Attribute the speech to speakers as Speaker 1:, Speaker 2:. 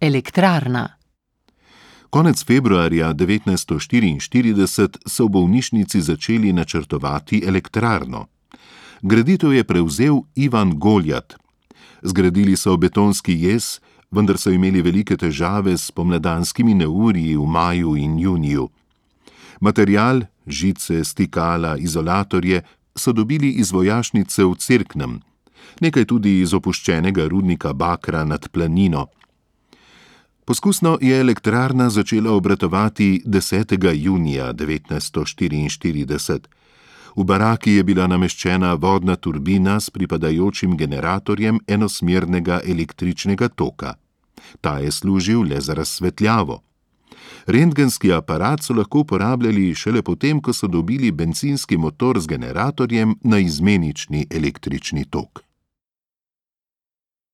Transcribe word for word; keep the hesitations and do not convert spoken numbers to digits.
Speaker 1: Elektrarna.
Speaker 2: Konec februarja devetnajststo štiriinštirideset so v bolnišnici začeli načrtovati elektrarno. Graditev je prevzel Ivan Goljat. Zgradili so betonski jez, vendar so imeli velike težave s spomladanskimi neurji v maju in juniju. Material, žice, stikala, izolatorje so dobili iz vojašnice v Cerknem, nekaj tudi iz opuščenega rudnika bakra nad Planino. Poskusno je elektrarna začela obratovati desetega junija devetnajststo štiriinštirideset. V baraki je bila nameščena vodna turbina s pripadajočim generatorjem enosmernega električnega toka. Ta je služil le za razsvetljavo. Rentgenski aparat so lahko uporabljali šele potem, ko so dobili bencinski motor z generatorjem na izmenični električni tok.